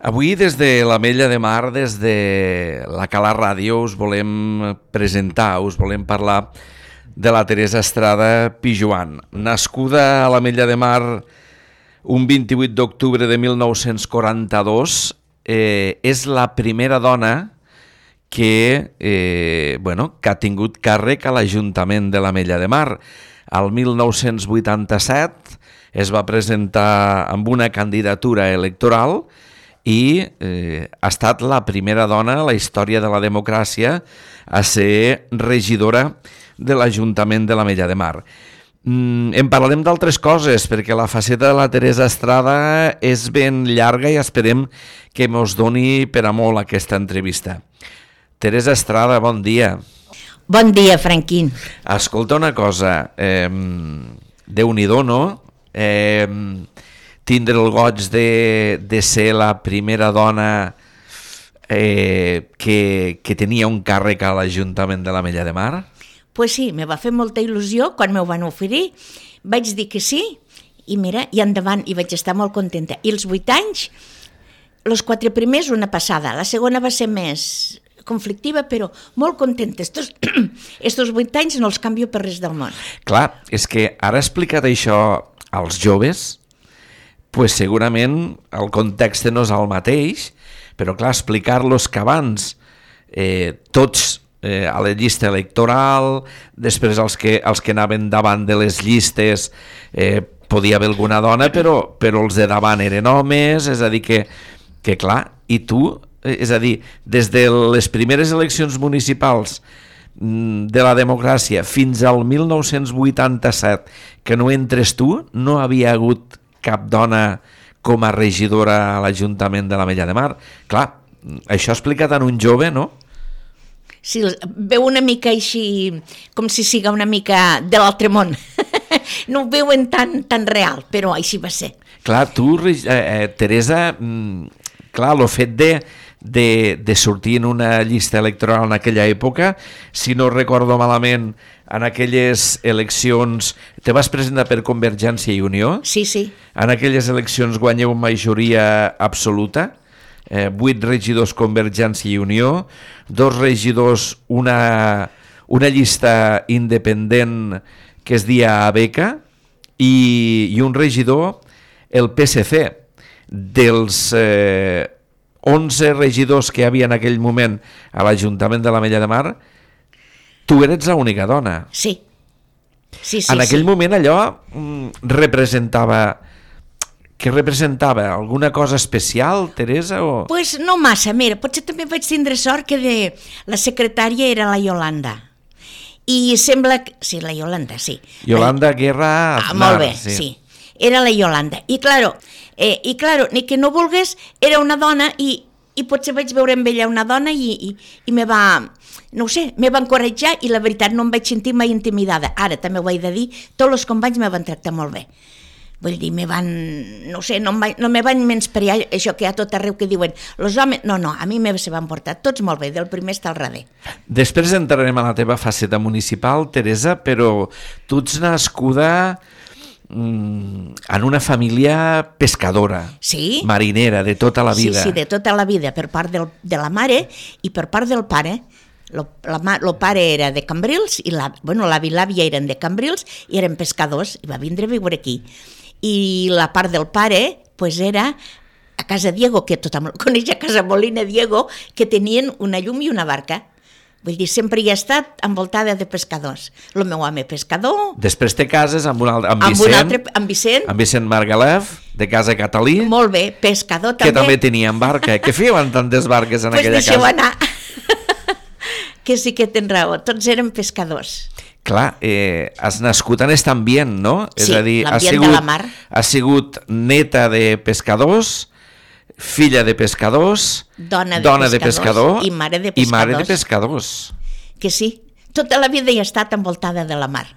Avui des de l'Ametlla de Mar, des de la Cala Ràdio, us volem presentar, us volem parlar de la Teresa Estrada Pijoan. Nascuda a l'Ametlla de Mar un 28 d'octubre de 1942, és la primera dona que ha tingut càrrec a l'Ajuntament de l'Ametlla de Mar. Al 1987 es va presentar amb una candidatura electoral i ha estat la primera dona a la història de la democràcia a ser regidora de l'Ajuntament de l'Ametlla de Mar. En parlarem d'altres coses, perquè la faceta de la Teresa Estrada és ben llarga i esperem que mos doni per a molt aquesta entrevista. Teresa Estrada, bon dia. Bon dia, Franquín. Escolta una cosa, Déu-n'hi-do, no? Tindre el goig de ser la primera dona que tenia un càrrec a l'Ajuntament de l'Ametlla de Mar? Pues sí, me va fer molta il·lusió quan m'ho van oferir. Vaig dir que sí i mira, i endavant, i vaig estar molt contenta. I els 8 anys, els 4 primers una passada, la segona va ser més conflictiva, però molt contenta. Estos 8 anys no els canvio per res del món. Clar, és que ara explicat això als joves, pues segurament el context no és el mateix, però clar, explicar-los que abans tots a la llista electoral, després els que anaven davant de les llistes podia haver alguna dona, però els de davant eren homes, és a dir que clar, i tu, és a dir, des de les primeres eleccions municipals de la democràcia fins al 1987 que no entres tu, no havia hagut cap dona com a regidora a l'Ajuntament de l'Ametlla de Mar. Clar, això explicat en un jove, no? Sí, veu una mica així, com si siga una mica de l'altre món. No ho veuen tan real, però així va ser. Clar, tu, Teresa, clar, el fet de sortir en una llista electoral en aquella època, si no recordo malament, en aquelles eleccions te vas presentar per Convergència i Unió? Sí, sí. En aquelles eleccions guanyeu majoria absoluta, 8 regidors Convergència i Unió, 2 regidors una llista independent que es dia Abeca i un regidor el PSC. Dels 11 regidors que hi havia en aquell moment a l'Ajuntament de l'Ametlla de Mar, tu eres l'única dona. Sí. En aquell moment allò representava... Què representava? Alguna cosa especial, Teresa? O... Pues no massa, mira, potser també vaig tindre sort que la secretària era la Yolanda. I sembla que... Sí, la Yolanda, sí. Yolanda Guerra Aznar. Molt bé, sí. Era la Yolanda. I claro, ni que no volgués, era una dona i potser vaig veure amb ella una dona i me va... No ho sé, me va encoratjar i la veritat no em vaig sentir mai intimidada. Ara també ho he de dir, tots els companys me van tractar molt bé. Vull dir, no me van menysprear això que hi ha tot arreu que diuen els homes, no, a mi se van portar tots molt bé, del primer està al darrer. Després entrarem a la teva faceta municipal, Teresa, però tu ets nascuda en una família pescadora, sí? Marinera, de tota la vida. Sí, de tota la vida, per part de la mare i per part del pare. El pare era de Cambrils i l'avi i l'àvia eren de Cambrils i eren pescadors i va vindre a viure aquí. I la part del pare pues era a Casa Diego, que tothom coneix, a Casa Molina Diego, que tenien una llum i una barca. Vull dir, sempre hi ha estat envoltada de pescadors. El meu home pescador... Després te cases amb Vicent. Amb Vicent Margalef, de Casa Catalí. Molt bé, pescador també. Que també tenien barca. Què feien tantes barques en aquella casa? Pues deixeu anar. Que sí que tens raó, tots eren pescadors. Clar, has nascut en aquest ambient, no? Sí, és a dir, l'ambient de la mar. Has sigut neta de pescadors, filla de pescadors, dona de pescador i mare de pescadors. I mare de pescadors. Que sí, tota la vida hi ha estat envoltada de la mar.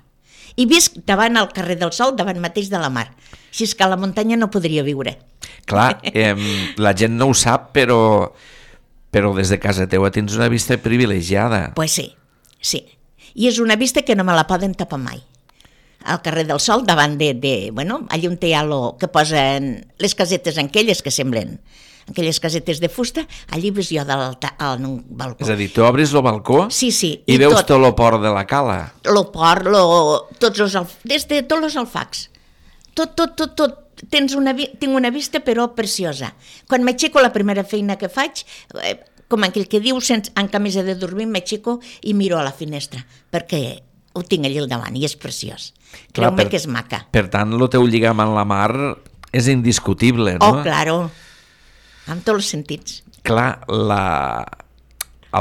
I visc davant al carrer del Sol, davant mateix de la mar. Així és que a la muntanya no podria viure. Clar, la gent no ho sap, però des de casa teua tens una vista privilegiada. Pues sí. I és una vista que no me la poden tapar mai. Al carrer del Sol, davant allà on hi ha que posen les casetes aquelles que semblen aquelles casetes de fusta, allí ves jo en un balcó. És a dir, tu obres el balcó Sí, i veus tot el port de la cala. El port, des de tots els alfacs. Tot. Tinc una vista però preciosa. Quan m'aixeco la primera feina que faig, com aquell que diu, en camisa de dormir, m'aixeco i miro a la finestra, perquè ho tinc allà al davant i és preciós. Creu-me que és maca. Per tant, el teu lligam amb la mar és indiscutible, no? Oh, claro, en tots els sentits. Clar,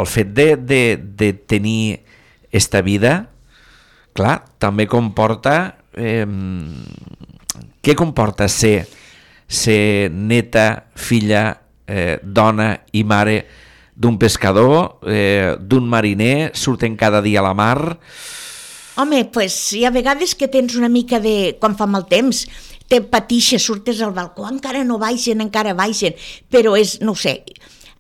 el fet de tenir esta vida, clar, també comporta... què comporta ser neta, filla, dona i mare d'un pescador, d'un mariner, surten cada dia a la mar? Home, doncs hi ha vegades que tens una mica de... Quan fa mal temps, te patixes, surtes al balcó, encara no baixen, però és, no ho sé,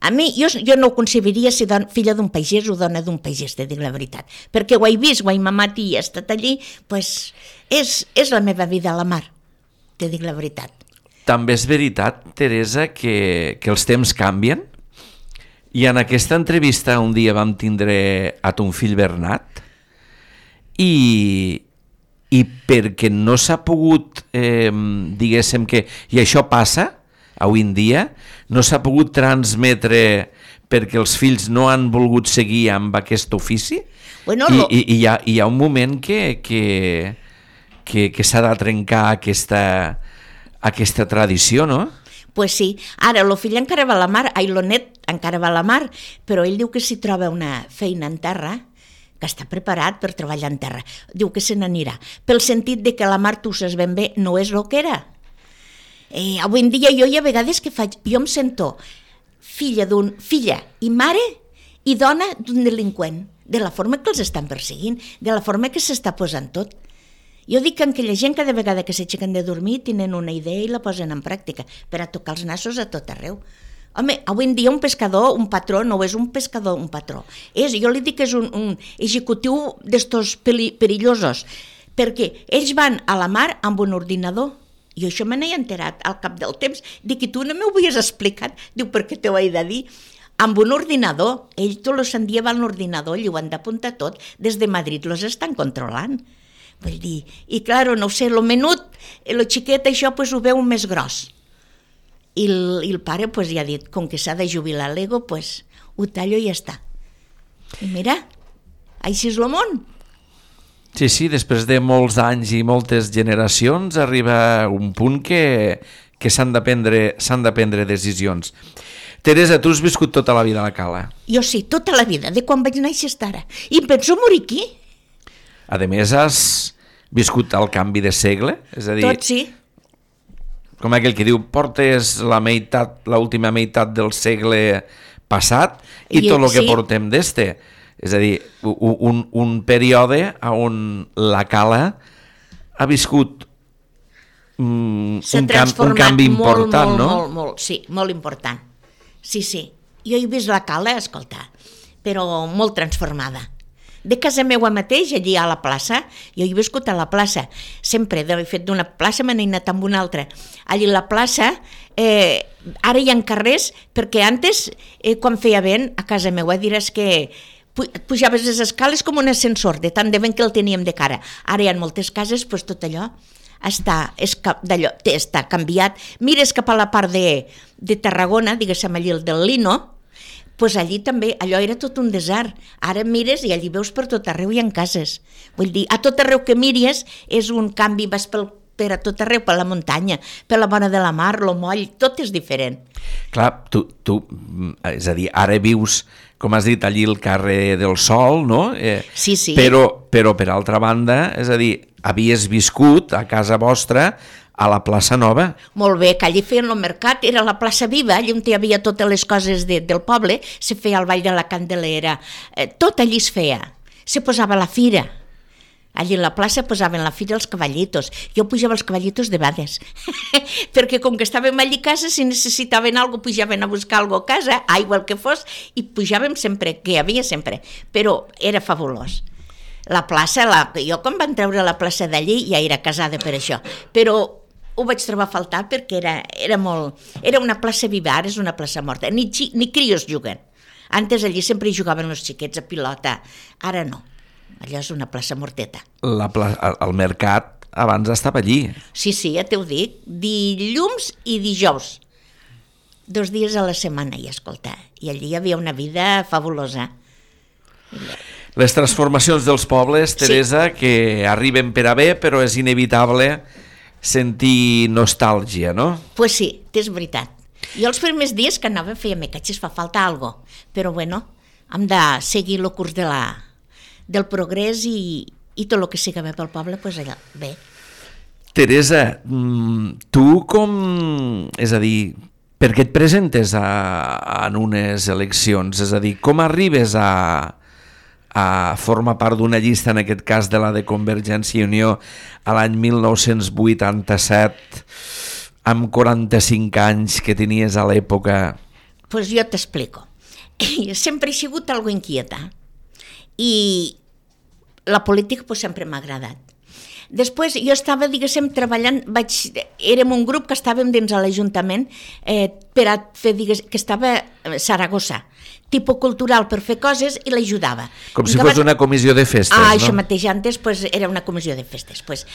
a mi, jo no ho concebiria ser filla d'un pagès o dona d'un pagès, te dic la veritat, perquè ho he vist, ho he mamat i he estat allí, doncs és la meva vida a la mar, te dic la veritat. També és veritat, Teresa, que els temps canvien? I en aquesta entrevista un dia vam tindre a ton fill Bernat i perquè no s'ha pogut, diguéssim que, i això passa avui en dia, no s'ha pogut transmetre perquè els fills no han volgut seguir amb aquest ofici, bueno, i hi ha un moment que s'ha de trencar aquesta tradició, no? Pues sí, ara el fill encara va a la mar, lo net encara va a la mar, però ell diu que si troba una feina en terra, que està preparat per treballar en terra, diu que se n'anirà, pel sentit de que la mar, tu saps ben bé, no és el que era. Avui en dia jo hi ha vegades que faig, jo em sento filla i mare i dona d'un delinqüent, de la forma que els estan perseguint, de la forma que s'està posant tot. Jo dic que aquella gent cada vegada que s'aixequen de dormir tenen una idea i la posen en pràctica per a tocar els nassos a tot arreu. Home, avui en dia un pescador, un patró, no és un pescador, un patró. Jo li dic que és un executiu d'estos perillosos, perquè ells van a la mar amb un ordinador. I això me n'he enterat al cap del temps. Dic, i tu no m'ho havies explicat? Diu, per què t'ho he de dir? Amb un ordinador. Ells tot el sant dia van a l'ordinador i ho han d'apuntar tot. Des de Madrid los estan controlant. Vull dir, i clar, no sé, lo menut, lo xiquet, això pues, ho veu més gros. I el pare pues, ja ha dit, com que s'ha de jubilar l'ego, pues, ho tallo i ja està. I mira, així és el món. Sí, després de molts anys i moltes generacions arriba un punt que s'han de prendre decisions. Teresa, tu has viscut tota la vida a la cala? Jo sí, tota la vida, de quan vaig néixer fins ara. I em penso morir aquí. A més, has viscut el canvi de segle? És a dir, tot sí. Com aquell que diu, portes l'última meitat del segle passat i tot el que portem d'este. És a dir, un període on la cala ha viscut un canvi important, no? Molt, sí, molt important. Sí. Jo he vist la cala, escolta, però molt transformada. De casa meua mateix, allí a la plaça, jo he viscut a la plaça, sempre, de fet d'una plaça me n'he anat amb una altra. Allí a la plaça, ara hi ha carrers, perquè antes, quan feia vent, a casa meua diràs que pujaves les escales com un ascensor, de tant de vent que el teníem de cara. Ara hi ha moltes cases, doncs tot allò està canviat. Mires cap a la part de Tarragona, diguéssim allí el del Lino, doncs allí també, allò era tot un desert. Ara mires i allí veus per tot arreu hi ha cases. Vull dir, a tot arreu que miris és un canvi, vas per a tot arreu, per la muntanya, per la vora de la mar, lo moll, tot és diferent. Clar, tu, és a dir, ara vius, com has dit, allí el carrer del Sol, no? Sí. Però per altra banda, és a dir, havies viscut a casa vostra a la plaça Nova. Molt bé, que allí feien el mercat, era la plaça Viva, allà on hi havia totes les coses del poble, se feia el ball de la Candelera, tot allí es feia, se posava la fira. Allí a la plaça posaven la fira els cavallitos. Jo pujava els cavallitos de vegades, perquè com que estàvem allí a casa, si necessitaven alguna cosa, pujaven a buscar alguna cosa, aigua, el que fos, i pujàvem sempre, que hi havia sempre, però era fabulós. La plaça, jo quan van treure la plaça d'allí ja era casada per això, però ho vaig trobar a faltar perquè era una plaça viva, ara és una plaça morta. Ni crios juguen. Antes allí sempre hi jugaven els xiquets a pilota, ara no. Allò és una plaça morteta. El mercat abans estava allí. Sí, ja t'ho dic, dilluns i dijous. 2 dies a la setmana, i escolta, i allí hi havia una vida fabulosa. Les transformacions dels pobles, Teresa, sí, que arriben per a bé, però és inevitable sentir nostàlgia, no? Pues sí, és veritat. Jo els primers dies que anava feia, me catxes, fa falta algo, però bueno, hem de seguir el curs del progrés i tot el que siga bé pel poble, pues allà, bé. Teresa, tu com... És a dir, per què et presentes en unes eleccions? És a dir, com arribes a formar part d'una llista, en aquest cas de la de Convergència i Unió, a l'any 1987, amb 45 anys que tenies a l'època? Pues jo t'explico. Sempre he sigut algo inquieta i la política pues, sempre m'ha agradat. Després jo estava, diguéssim, treballant, érem un grup que estàvem dins a l'Ajuntament per a fer, que estava a Saragossa, tipus cultural per fer coses i l'ajudava. Com si fos una comissió de festes, no? Això mateix, antes pues, era una comissió de festes. Pues.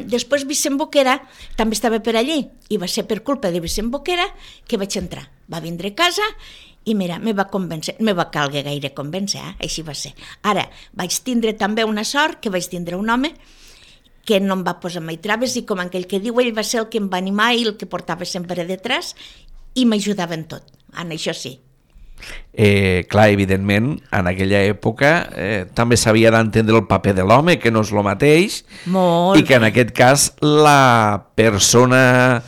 Després Vicent Boquera també estava per allí i va ser per culpa de Vicent Boquera que vaig entrar. Va vindre a casa i mira, me va convèncer, me va calgue gaire convèncer, així va ser. Ara, vaig tindre també una sort que vaig tindre un home que no em va posar mai traves i com aquell que diu, ell va ser el que em va animar i el que portava sempre detrás i m'ajudava en tot, en això sí. Clar, evidentment, en aquella època també s'havia d'entendre el paper de l'home, que no és el mateix, molt i que en aquest cas la persona,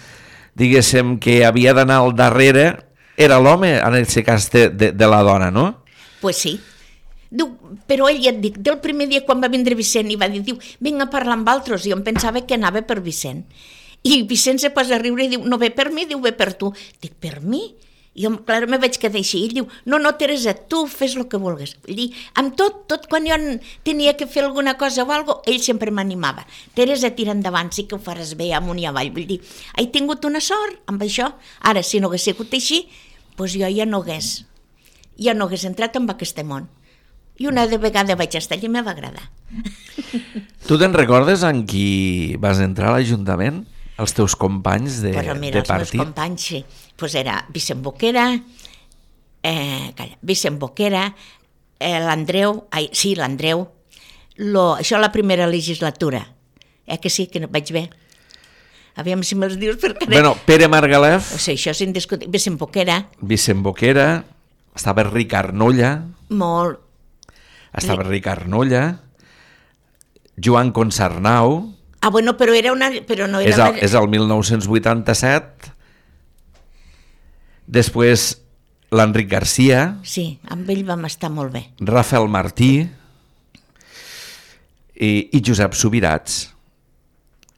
diguéssim, que havia d'anar al darrere era l'home, en aquest cas de la dona, no? Pues sí. Diu, però ell ja et dic, del primer dia quan va vindre Vicent i va dir, vinc a parlar amb altres, i jo em pensava que anava per Vicent. I Vicent se posa a riure i diu, no ve per mi, diu, ve per tu. Dic, per mi? I jo, clar, me vaig quedar així. I ell diu, no, Teresa, tu fes el que vulguis. Vull dir, amb tot quan jo tenia que fer alguna cosa o alguna cosa, ell sempre m'animava. Teresa, tira endavant, sí que ho faràs bé amunt i avall. Vull dir, he tingut una sort amb això. Ara, si no hagués sigut així, doncs jo ja no hagués entrat en aquest món. I una vegada vaig estar allà i me va agradar. Tu te'n recordes en qui vas entrar a l'Ajuntament? Els teus companys de partit? Però mira, els meus companys, sí. Pues era Vicent Boquera, l'Andreu, l'Andreu, això la primera legislatura, que sí, que no vaig bé. Aviam si me'ls dius perquè... Bueno, Pere Margalef... O sigui, això és indiscutible. Vicent Boquera, estava Ricard Nolla... Molt... Estava Ricard Nolla, Joan Consarnau... bueno, però era una... Però no era és el 1987. Després l'Enric Garcia... Sí, amb ell vam estar molt bé. Rafael Martí i Josep Subirats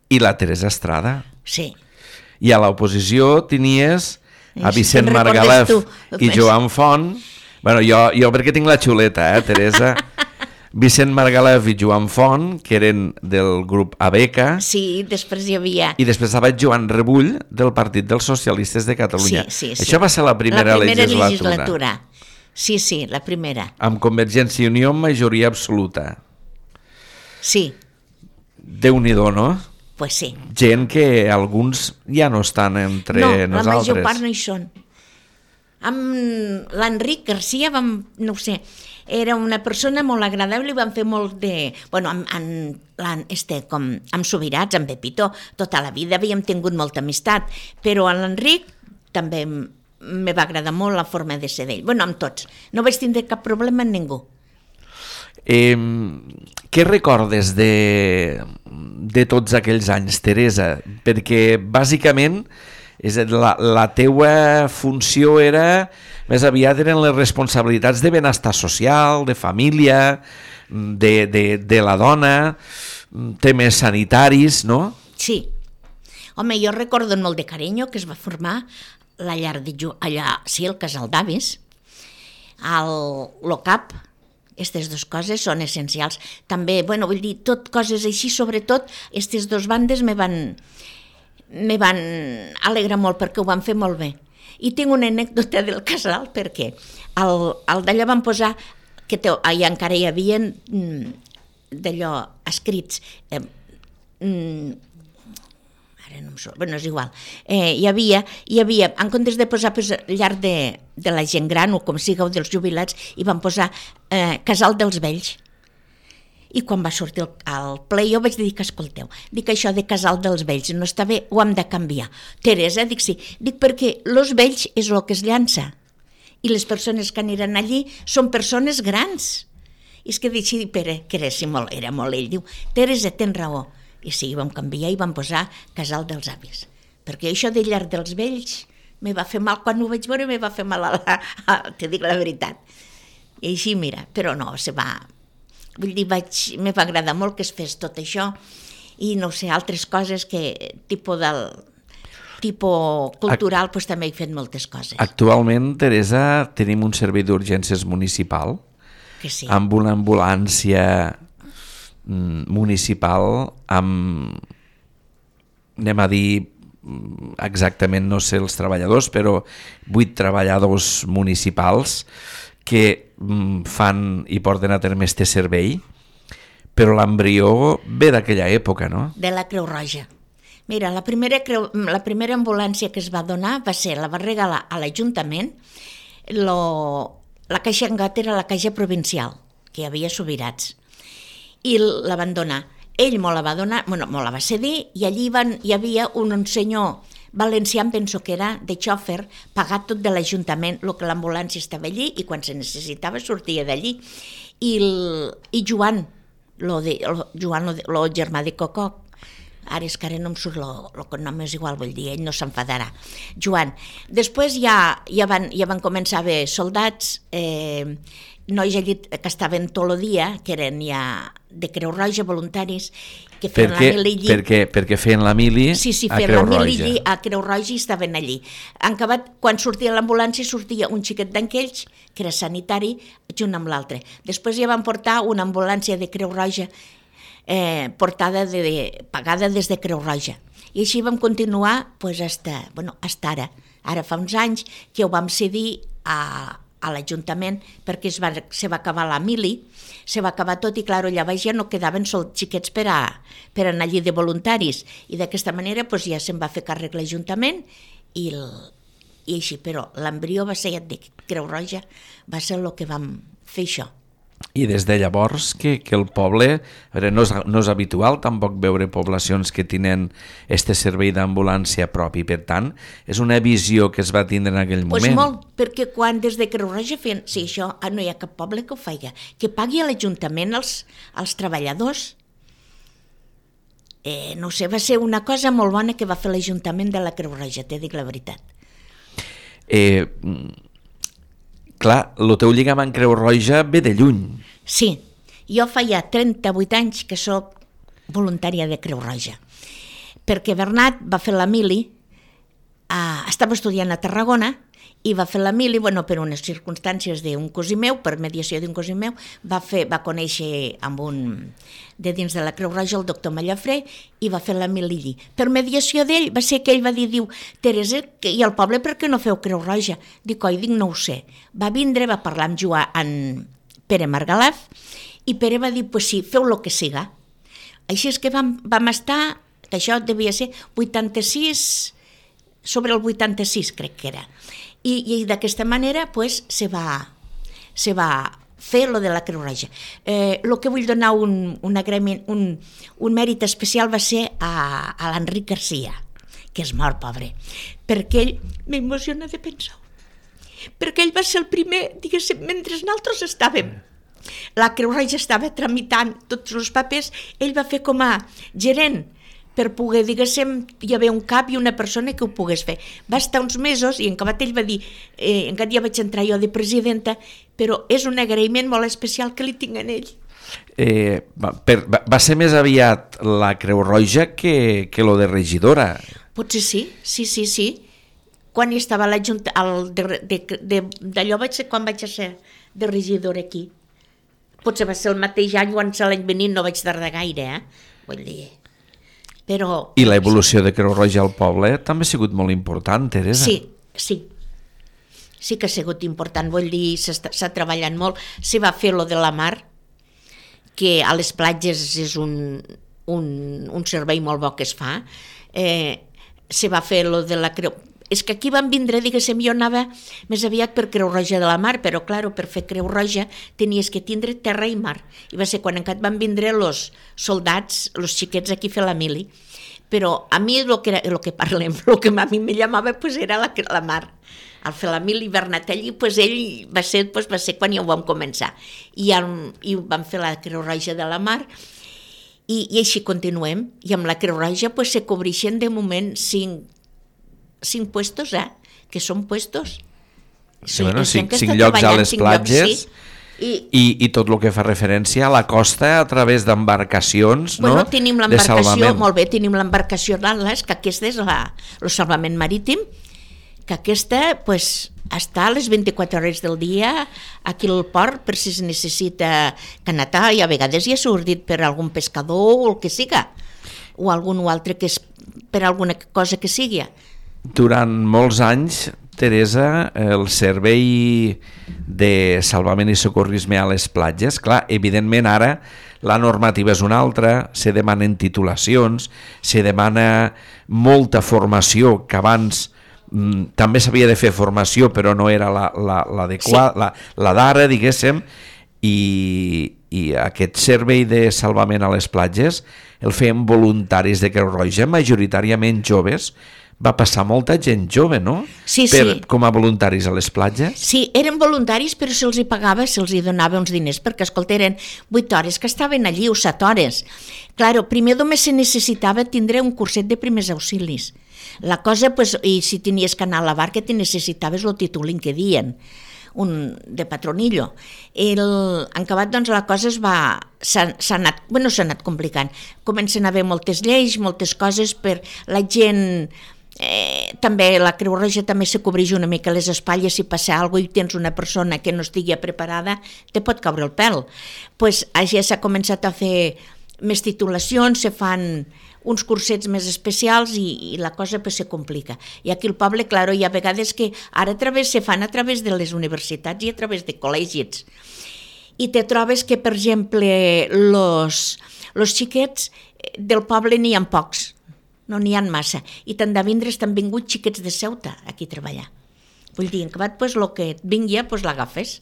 i la Teresa Estrada. Sí. I a l'oposició tenies a Vicent Margalef i Joan Font... Bueno, jo perquè tinc la xuleta, Teresa? Vicent Margalef i Joan Font, que eren del grup Abeca. Sí, després hi havia... I després estava Joan Rebull, del Partit dels Socialistes de Catalunya. Sí. Això va ser la primera legislatura. Sí, la primera. Amb Convergència i Unió en majoria absoluta. Sí. Déu-n'hi-do, no? Pues sí. Gent que alguns ja no estan entre nosaltres. No, la major part no hi són. Amb l'Enric Garcia no ho sé, era una persona molt agradable i vam fer molt de... Bueno, amb Subirats, amb Pepito, tota la vida havíem tingut molta amistat, però a l'Enric també me va agradar molt la forma de ser d'ell. Bueno, amb tots. No vaig tindre cap problema amb ningú. Què recordes de tots aquells anys, Teresa? Perquè, bàsicament, la teua funció era, més aviat eren les responsabilitats de benestar social, de família, de la dona, temes sanitaris, no? Sí. Home, jo recordo molt de carinyo que es va formar la llar allà, sí, el casal d'avis, l'OCAP. Aquestes dues coses són essencials. També, bueno, vull dir, tot coses així, sobretot, aquestes dues bandes me van me van alegrar molt perquè ho van fer molt bé. I tinc una anècdota del casal perquè al d'allò van posar, que allà encara hi havia d'allò escrits, ara no em surt, bueno, és igual, hi havia, en comptes de posar llar de la gent gran o com siga, o dels jubilats, hi van posar casal dels vells. I quan va sortir al ple jo vaig dir que escolteu, dic això de casal dels vells no està bé, ho hem de canviar. Teresa, dic sí, dic perquè els vells és el que es llança i les persones que aniran allí són persones grans. I és que dic, sí, Pere, que era molt ell, diu, Teresa, tens raó. I sí, vam canviar i vam posar casal dels avis. Perquè això de llar dels vells me va fer mal, quan ho vaig veure me va fer mal, te dic la veritat. I així, mira, però no, vull dir, me va agradar molt que es fes tot això i no sé, altres coses que tipus cultural pues, també he fet moltes coses. Actualment, Teresa, tenim un servei d'urgències municipal que sí. Amb una ambulància municipal amb, anem a dir exactament, no sé els treballadors, però 8 treballadors municipals que fan i porten a terme este servei, però l'embrió ve d'aquella època, no? De la Creu Roja. Mira, la primera ambulància que es va donar la va regalar a l'Ajuntament, la caixa Engat era la caixa provincial, que hi havia Subirats, i la van donar. Ell me la va donar, me la va cedir, i allí hi havia un senyor valencià, em penso que era, de xòfer, pagat tot de l'Ajuntament, el que l'ambulància estava allí i quan se necessitava sortia d'allí. I Joan, el germà de Cococ, ara és que ara no em surt el cognom, és igual, vull dir, ell no s'enfadarà. Joan. Després ja van començar a haver soldats, nois allí que estaven tot el dia, que eren ja de Creu Roja, voluntaris, que feien la mili allí. Perquè feien la mili sí, a feien Creu la mili Roja. allí a Creu Roja i estaven allí. En acabat, quan sortia l'ambulància, sortia un xiquet d'enquells, que era sanitari, junt amb l'altre. Després ja van portar una ambulància de Creu Roja pagada des de Creu Roja. I així vam continuar hasta ara. Ara fa uns anys que ho vam cedir a l'Ajuntament perquè se va acabar la mili, se va acabar tot i clar, allà baix ja no quedaven sols xiquets per anar allí de voluntaris i d'aquesta manera ja se'n va fer càrrec l'Ajuntament i així, però l'embrió va ser, ja et dic, Creu Roja va ser el que vam fer això. I des de llavors que el poble, a veure, no és habitual tampoc veure poblacions que tenen este servei d'ambulància propi, per tant, és una visió que es va tindre en aquell moment. Doncs molt, perquè quan des de Creu Roja feien, sí, això no hi ha cap poble que ho faci, que pagui a l'Ajuntament els treballadors, no sé, va ser una cosa molt bona que va fer l'Ajuntament de la Creu Roja, t'he dit la veritat. Clar, el teu lligam amb Creu Roja ve de lluny. Sí, jo fa ja 38 anys que sóc voluntària de Creu Roja, perquè Bernat va fer la mili, estava estudiant a Tarragona i va fer la mili, per unes circumstàncies d'un cosí meu, per mediació d'un cosí meu, va conèixer amb un de dins de la Creu Roja, el doctor Mallafré, i va fer la mili allí. Per mediació d'ell va ser que ell va dir, Teresa, i al poble per què no feu Creu Roja? Dic, no ho sé. Va vindre, va parlar amb Joan Pere Margalaf, i Pere va dir, sí, feu el que siga. Així és que vam estar, que això devia ser 86, sobre el 86 crec que era. I d'aquesta manera se va fer lo de la Creu Roja. El que vull donar un agraïment, un mèrit especial va ser a l'Enric Garcia, que és mort, pobre, perquè ell m'emociona de pensar, perquè ell va ser el primer, diguéssim, mentre nosaltres estàvem, la Creu Roja estava tramitant tots els papers, ell va fer com a gerent, per poder, diguéssim, hi havia un cap i una persona que ho pogués fer. Va estar uns mesos i en acabat ell va dir, encara ja vaig entrar jo de presidenta, però és un agraïment molt especial que li tinc a ell. Va ser més aviat la Creu Roja que lo de regidora. Potser sí. Quan hi estava d'allò vaig ser quan vaig ser de regidora aquí. Potser va ser el mateix any o l'any venint, no vaig tardar gaire, vull dir... Però... I l'evolució de Creu Roja al poble també ha sigut molt important, Teresa. Sí que ha sigut important, vull dir, s'ha treballat molt. Se va fer lo de la mar, que a les platges és un servei molt bo que es fa. Se va fer lo de la Creu... És que aquí van vindre, diguéssim, jo anava més aviat per Creu Roja de la Mar, però, clar, per fer Creu Roja tenies que tindre terra i mar. I va ser quan encara van vindre els soldats, els xiquets aquí a fer la mili. Però a mi el que parlem, el que a mi me llamava pues, era la mar. Al fer la mili Bernatelli, pues, ell va ser quan ja ho vam començar. I vam fer la Creu Roja de la Mar i així continuem. I amb la Creu Roja pues, se cobreixen de moment 5 puestos, que són puestos. Sí, bueno, 5 llocs a les platges, i tot el que fa referència a la costa a través d'embarcacions, bueno, no? Tenim l'embarcació, molt bé, tenim l'embarcació d'Atlas, que aquesta és el salvament marítim, que aquesta pues, està a les 24 hores del dia aquí al port per si es necessita canatar, i a vegades ja s'ha ordit per algun pescador o el que siga, o algun altre que és per alguna cosa que sigui. Durant molts anys, Teresa, el servei de salvament i socorrisme a les platges, clar, evidentment ara la normativa és una altra, se demanen titulacions, se demana molta formació, que abans també s'havia de fer formació però no era l'adequada, la d'ara, diguéssim, i aquest servei de salvament a les platges el feien voluntaris de Creu Roja, majoritàriament joves. Va passar molta gent jove, no? Sí. Com a voluntaris a les platges? Sí, eren voluntaris, però se'ls hi pagava, se'ls hi donava uns diners, perquè, escolta, eren 8 hores que estaven allí, o 7 hores. Claro, primer només se necessitava tindre un curset de primers auxilis. La cosa, pues, i si tenies que anar a la barca, te necessitaves el títol que dien, de patronillo. En acabat, doncs, la cosa s'ha anat complicant. Comencen a haver moltes lleis, moltes coses per la gent... també la Creu Roja també se cobreix una mica les espatlles. Si passa alguna cosa i tens una persona que no estigui preparada, te pot caure el pèl. Pues ja s'ha començat a fer més titulacions, se fan uns cursets més especials i la cosa pues, se complica. I aquí al poble, claro, hi ha vegades que ara se fan a través de les universitats i a través de col·legis. I te trobes que, per exemple, los xiquets del poble n'hi ha pocs, no n'hi ha massa, i tant de vindre estan vinguts xiquets de Ceuta aquí a treballar. Vull dir, en acabat, pues, el que et vingui, pues, l'agafes.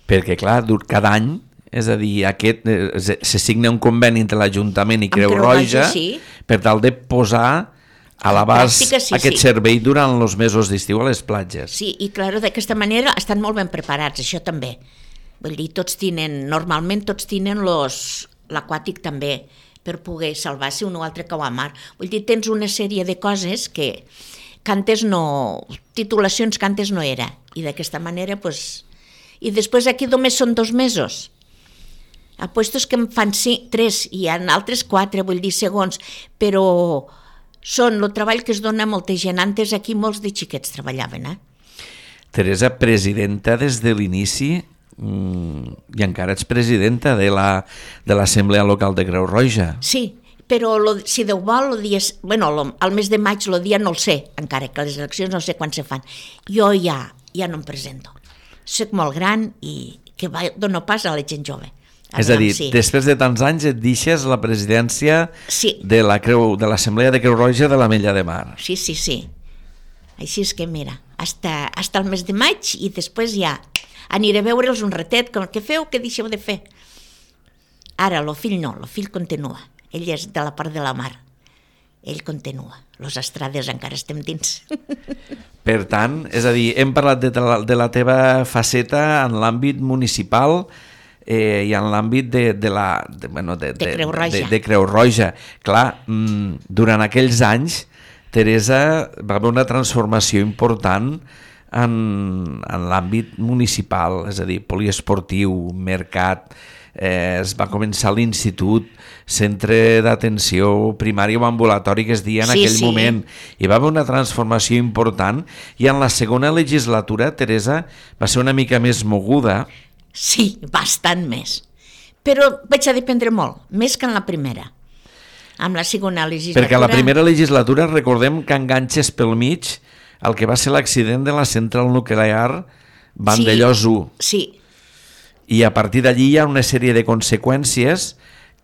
Perquè, clar, cada any, és a dir, se signa un conveni entre l'Ajuntament i Creu Roja, sí, per tal de posar a l'abast aquest servei durant els mesos d'estiu a les platges. Sí, i clar, d'aquesta manera estan molt ben preparats, això també. Vull dir, normalment tots tenen l'aquàtic també, per poder salvar-se un o altre cau a mar. Vull dir, tens una sèrie de coses que antes no... titulacions que antes no era. I d'aquesta manera, pues... I després aquí només són 2 mesos. A puestos que en fan 3 i hi ha altres 4, vull dir, segons, però són el treball que es dona a molta gent. Antes aquí molts de xiquets treballaven, Teresa, presidenta des de l'inici, i encara ets presidenta de l'Assemblea Local de Creu Roja. Sí, però si Déu vol, al mes de maig, el dia no el sé, encara que les eleccions no sé quan se fan. Jo ja no em presento. Soc molt gran i que dono pas a la gent jove. És a dir, després de tants anys et deixes la presidència de l'Assemblea de Creu Roja de l'Ametlla de Mar. Sí. Així és que mira, hasta el mes de maig i després ja aniré a veure'ls un ratet, com què feu, què deixeu de fer. Ara, el fill no, el fill continua. Ell és de la part de la mar. Ell continua. Los Estrades encara estem dins. Per tant, és a dir, hem parlat de la teva faceta en l'àmbit municipal i en l'àmbit de Creu Roja. Clar, durant aquells anys, Teresa, va haver una transformació important en l'àmbit municipal, és a dir, poliesportiu, mercat, es va començar l'institut, centre d'atenció primària o ambulatori que es deia en aquell moment. Hi va haver una transformació important i en la segona legislatura, Teresa, va ser una mica més moguda. Sí, bastant més. Però vaig a dependre molt, més que en la primera. amb la segona legislatura. Perquè a la primera legislatura recordem que enganxes pel mig el que va ser l'accident de la central nuclear Vandellòs 1. Sí. I a partir d'allí hi ha una sèrie de conseqüències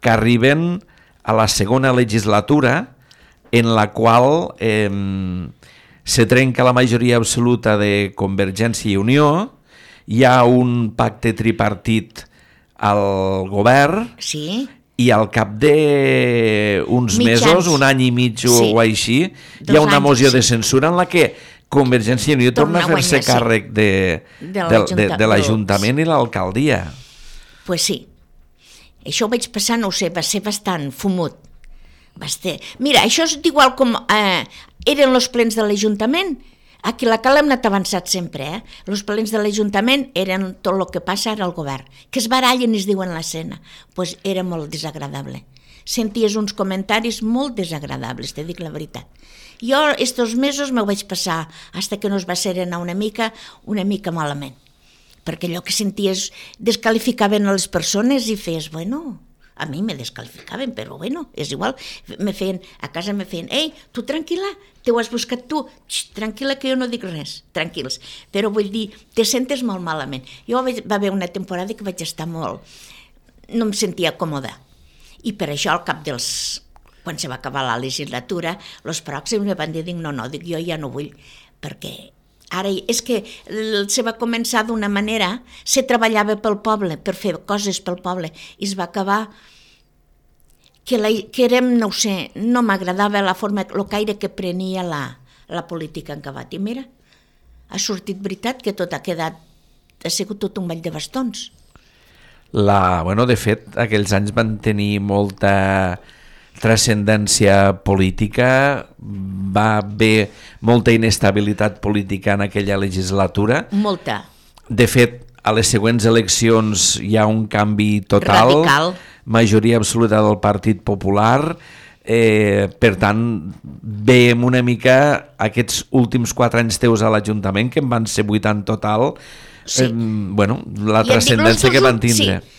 que arriben a la segona legislatura, en la qual se trenca la majoria absoluta de Convergència i Unió, hi ha un pacte tripartit al govern, Sí. i al cap d'uns mesos, un any i mig o així, hi ha una moció de censura en la que Convergència i Unió torna a fer-se càrrec de l'Ajuntament i l'alcaldia. Pues sí. Això ho vaig passar, no ho sé, va ser bastant fumut. Mira, això és igual com eren els plens de l'Ajuntament. Aquí a la Cala hem anat avançat sempre, Els plens de l'Ajuntament eren tot el que passa ara al govern, que es barallen i es diuen l'escena. Pues era molt desagradable. Senties uns comentaris molt desagradables, te dic la veritat. Jo estos mesos m'ho vaig passar fins que no es va serenar una mica malament. Perquè allò que senties descalificaven a les persones i feies, bueno, a mi me descalificaven, però bueno, és igual. A casa me feien, ei, tu tranquil·la, te ho has buscat tu, tranquil·la que jo no dic res, tranquils. Però vull dir, te sentes molt malament. Jo va haver una temporada que vaig estar molt, no em sentia còmoda. I per això al cap quan se va acabar la legislatura, els pròxims me van dir, no, dic, jo ja no vull, perquè ara és que se va començar d'una manera, se treballava pel poble, per fer coses pel poble, i es va acabar que érem, no ho sé, no m'agradava la forma, el caire que prenia la política en acabat. I mira, ha sortit veritat que tot ha sigut tot un ball de bastons. De fet, aquells anys van tenir molta transcendència política, va haver molta inestabilitat política en aquella legislatura. Molta. De fet, a les següents eleccions hi ha un canvi total. Radical. Majoria absoluta del Partit Popular. Per tant, veiem una mica aquests últims 4 anys teus a l'Ajuntament, que en van ser 8 en total, sí. La transcendència que van tindre. Sí.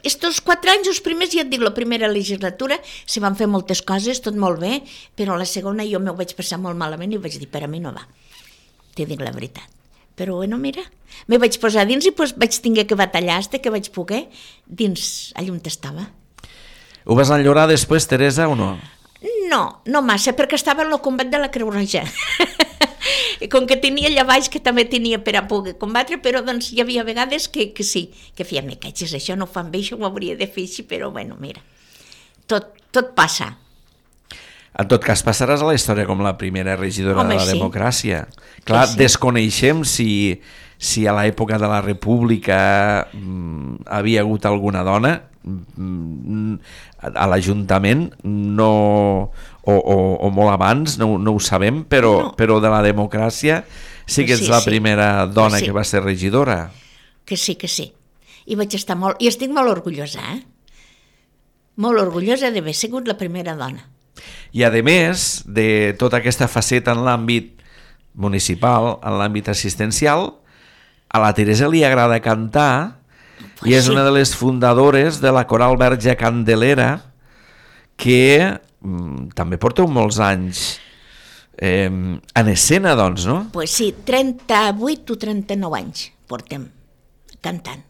Estos 4 anys, els primers, ja et dic, la primera legislatura, se van fer moltes coses, tot molt bé, però la segona jo m'ho vaig passar molt malament i vaig dir, per a mi no va. Te dic la veritat. Però bueno, mira, me vaig posar dins i vaig tinguer que batallar fins que vaig poder dins allà on estava. Ho vas enllorar després, Teresa, o no? No massa, perquè estava en el combat de la Creu Roja. Com que tenia allà baix, que també tenia per a poder combatre, però doncs hi havia vegades que sí, que feia, me catxes, això no ho fan bé, això ho hauria de fer així, però bueno, mira, tot passa. En tot cas, passaràs a la història com la primera regidora de la democràcia. Clar, sí. Desconeixem si a l'època de la República havia hagut alguna dona a l'Ajuntament, o molt abans, no ho sabem, però de la democràcia sí que ets la primera dona que va ser regidora. Que sí. I vaig estar molt, i estic molt orgullosa, molt orgullosa d'haver sigut la primera dona. I a més de tota aquesta faceta en l'àmbit municipal, en l'àmbit assistencial, a la Teresa li agrada cantar i és una de les fundadores de la Coral Verge Candelera, que també porteu molts anys en escena, doncs, no? Pues sí, 38 o 39 anys portem cantant.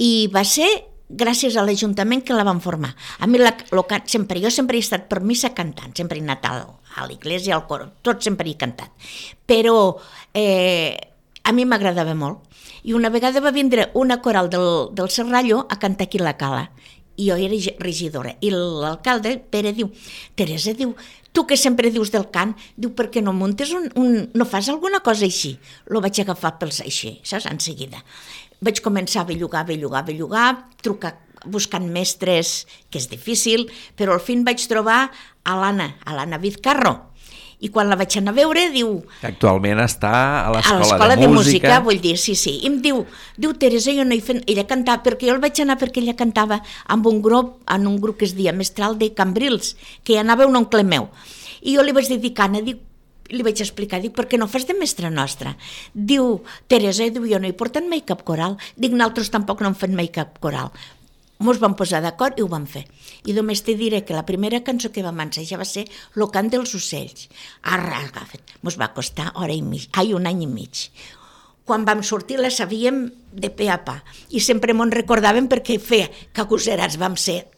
I va ser gràcies a l'Ajuntament que la van formar. A mi jo sempre he estat per missa cantant, sempre he anat a l'església, al cor, tot sempre he cantat. Però a mi m'agradava molt. I una vegada va vindre una coral del Serrallo a cantar aquí a la Cala. I jo era regidora. I l'alcalde, Pere, diu, Teresa, diu, tu que sempre dius del cant, diu, per què no muntes no fas alguna cosa així? Lo vaig agafar pels així, saps, en seguida. Vaig començar a bellugar, trucar, buscant mestres, que és difícil, però al fin vaig trobar a l'Anna Vizcarro. I quan la vaig anar a veure, diu... Actualment està a l'Escola de Música. Vull dir, sí. I em diu, Teresa, jo no hi fent... Ella cantava, perquè jo el vaig anar perquè ella cantava en un grup que es deia Mestral de Cambrils, que hi anava un oncle meu. I jo li vaig dedicar, li vaig explicar, dic, per què no fas de mestra nostra? Diu, Teresa, jo no he portat mai cap coral. Dic, nosaltres tampoc no hem fet mai cap coral. mos vam posar d'acord i ho vam fer. I només te diré que la primera cançó que vam ensejar va ser Lo cant dels ocells. Mos va costar un any i mig. Quan vam sortir la sabíem de pe a pa i sempre m'ho recordàvem perquè feia que agosserats vam ser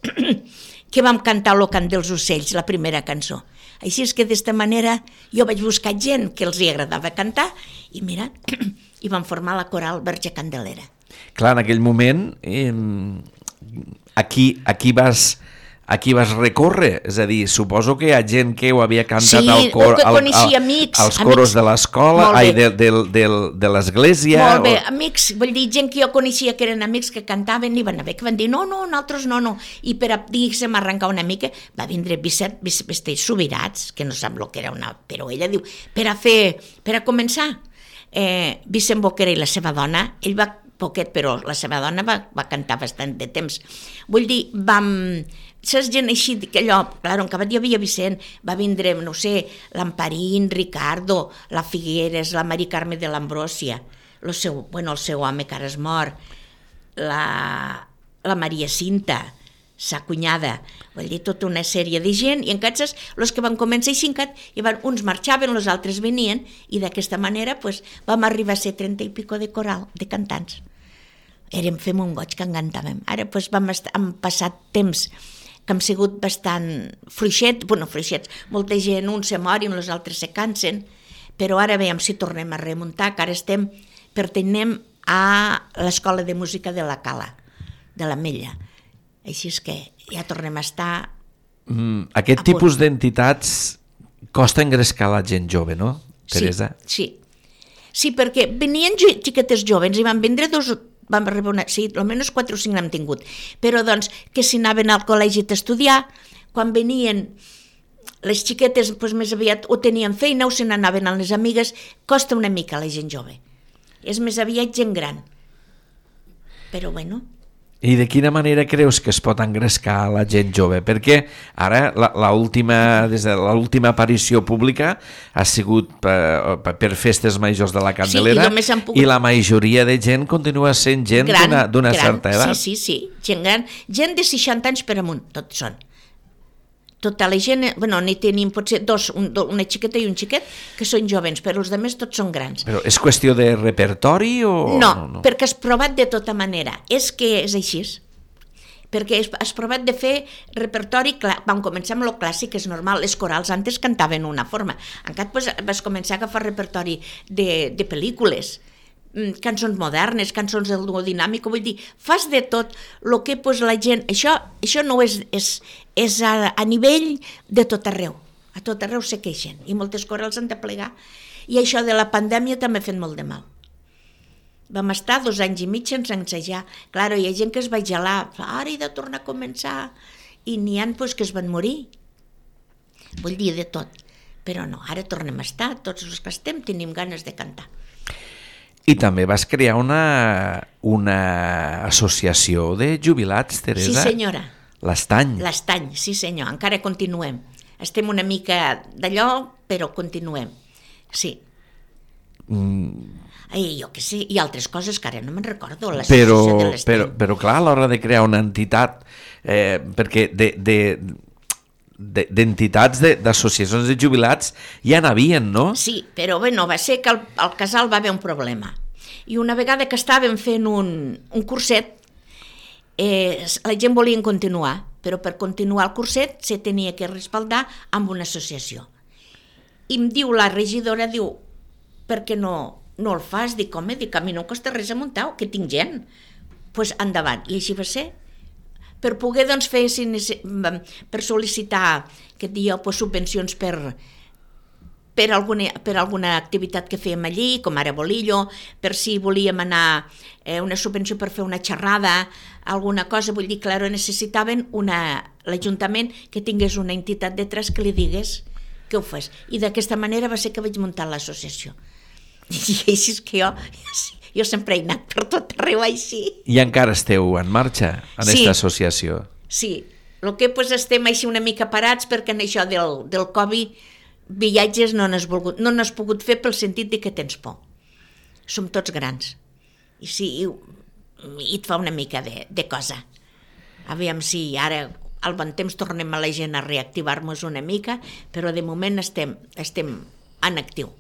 que vam cantar Lo cant dels ocells, la primera cançó. Així és que d'esta manera jo vaig buscar gent que els hi agradava cantar i mira, i vam formar la coral Verge Candelera. Clar, en aquell moment, aquí vas recórrer, és a dir, suposo que hi ha gent que ho havia cantat al cor, als coros de l'escola, de l'església. Molt bé, amics, vull dir, gent que jo coneixia que eren amics que cantaven i van haver que van dir no, nosaltres no. I per a, diguéssim, arrencar una mica, va vindre Vicent Subirats, que no sap el que era però ella diu, per a començar, Vicent Boquera i la seva dona, ell va poquet, però la seva dona va cantar bastant de temps. Vull dir, saps gent així, que allò, clar, en acabat hi havia Vicent, va vindre, no sé, l'Amparín, Ricardo, la Figueres, la Mari Carme de l'Ambrosia, el seu home que ara és mort, la Maria Cinta, sa cunyada, vull dir, tota una sèrie de gent, i encara els que van començar així, uns marxaven, els altres venien, i d'aquesta manera vam arribar a ser 30 i pico de coral, de cantants. Fem un goig que en cantàvem. Ara hem passat temps que hem sigut bastant fluixets, molta gent, uns se morin, els altres se cansen, però ara veiem si tornem a remuntar, que ara pertenem a l'Escola de Música de la Cala, de l'Ametlla. Així és que ja tornem a estar... Aquest tipus d'entitats costa engrescar la gent jove, no, Teresa? Sí, perquè venien xiquetes joves i van vindre vam rebre almenys 4 o 5 n'hem tingut, però doncs que si anaven al col·legi a estudiar, quan venien les xiquetes més aviat o tenien feina o se n'anaven amb les amigues, costa una mica la gent jove. És més aviat gent gran. Però bueno... I de quina manera creus que es pot engrescar la gent jove? Perquè ara des de l'última aparició pública ha sigut per festes majors de la Candelera, i la majoria de gent continua sent gent d'una certa edat. Sí, gent gran, gent de 60 anys per amunt, tots són. Tota la gent, n'hi tenim potser una xiqueta i un xiquet que són jovens, però els altres tots són grans. Però és qüestió de repertori o...? No, perquè has provat de tota manera. És que és així. Perquè has provat de fer repertori, vam començar amb el clàssic, és normal, les corals antes cantaven una forma. Encara vas començar a agafar repertori de pel·lícules, cançons modernes, cançons del duo dinàmic, vull dir, fas de tot el que la gent... Això no és a nivell de tot arreu. A tot arreu se queixen i moltes corals han de plegar. I això de la pandèmia també ha fet molt de mal. Vam estar 2 anys i mig sense ensejar. Clar, hi ha gent que es va gelar, ara he de tornar a començar, i n'hi ha que es van morir. Vull dir, de tot. Però no, ara tornem a estar, tots els que estem tenim ganes de cantar. I també vas crear una associació de jubilats, Teresa? Sí, senyora. L'Estany. L'Estany, sí senyor, encara continuem. Estem una mica d'allò, però continuem. Sí. Jo què sé, i altres coses que ara no me'n recordo. Però clar, a l'hora de crear una entitat, perquè d'entitats, d'associacions de jubilats ja n'havien, no? Sí, però va ser que al casal va haver un problema. I una vegada que estàvem fent un curset, la gent volia continuar, però per continuar el curset se tenia que respaldar amb una associació. I em diu la regidora, per què no el fas? Dic, home, a mi no em costa res a muntar, que tinc gent. Doncs endavant. I així va ser. Per poder fer, per sol·licitar subvencions per alguna activitat que fèiem allí, com ara Bolillo, per si volíem anar una subvenció per fer una xerrada, alguna cosa, vull dir, clar, necessitaven l'Ajuntament que tingués una entitat detrás que li digués que ho fes. I d'aquesta manera va ser que vaig muntar l'associació. I així és que jo sempre he anat per tot arreu així. I encara esteu en marxa en aquesta associació? Sí, el que estem així una mica parats perquè en això del Covid viatges no n'has pogut fer pel sentit de que tens por. Som tots grans. I sí, i et fa una mica de cosa. Aviam si ara al bon temps tornem a la gent a reactivar-nos una mica, però de moment estem en actiu.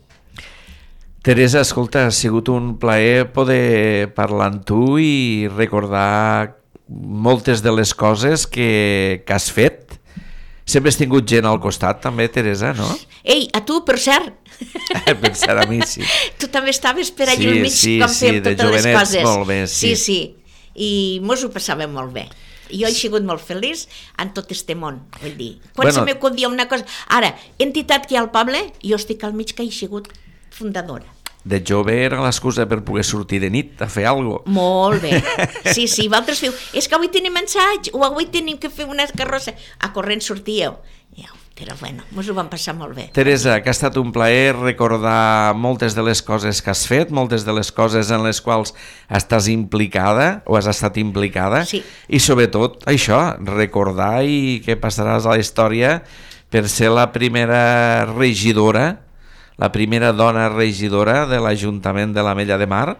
Teresa, escolta, ha sigut un plaer poder parlar amb tu i recordar moltes de les coses que has fet. Sempre has tingut gent al costat, també, Teresa, no? Ei, a tu, per cert. Per cert, a mi, sí. Tu també estaves per allà al mig, com fèiem totes les coses. Molt bé, sí. Sí, i mos ho passàvem molt bé. Jo he sigut molt feliç en tot este món, vull dir. Quan se m'acudia una cosa... Ara, entitat que hi ha al poble, jo estic al mig que he sigut fundadora. De jove era l'excusa per poder sortir de nit a fer alguna cosa. Molt bé. Sí, vosaltres feu, és que avui tenim ensaig, o avui tenim que fer una carrossa. A corrent sortíeu. Però bueno, mos ho vam passar molt bé. Teresa, que ha estat un plaer recordar moltes de les coses que has fet, moltes de les coses en les quals estàs implicada o has estat implicada, sí. I sobretot això, recordar i que passaràs a la història per ser la primera regidora, la primera dona regidora de l'Ajuntament de l'Ametlla de Mar.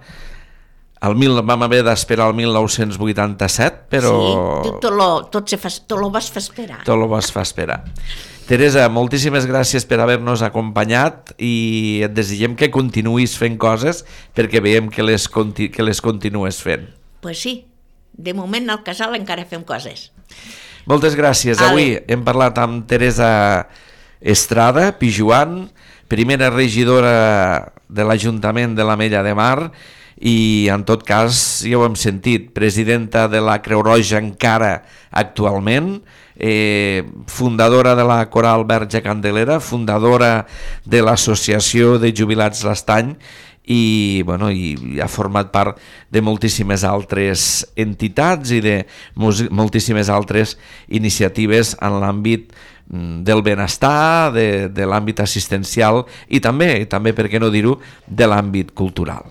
Vam haver d'esperar el 1987, però... Sí, tot lo vas fer esperar. Tot lo vas fer esperar. Teresa, moltíssimes gràcies per haver-nos acompanyat i et desitgem que continuïs fent coses perquè veiem que les continues fent. Pues sí, de moment al casal encara fem coses. Moltes gràcies. Avui hem parlat amb Teresa Estrada Pijuan, primera regidora de l'Ajuntament de l'Ametlla de Mar i, en tot cas, ja ho hem sentit, presidenta de la Creu Roja encara actualment, fundadora de la Coral Verge Candelera, fundadora de l'Associació de Jubilats l'Estany i ha format part de moltíssimes altres entitats i de moltíssimes altres iniciatives en l'àmbit del benestar, de l'àmbit assistencial i també, per què no dir-ho, de l'àmbit cultural.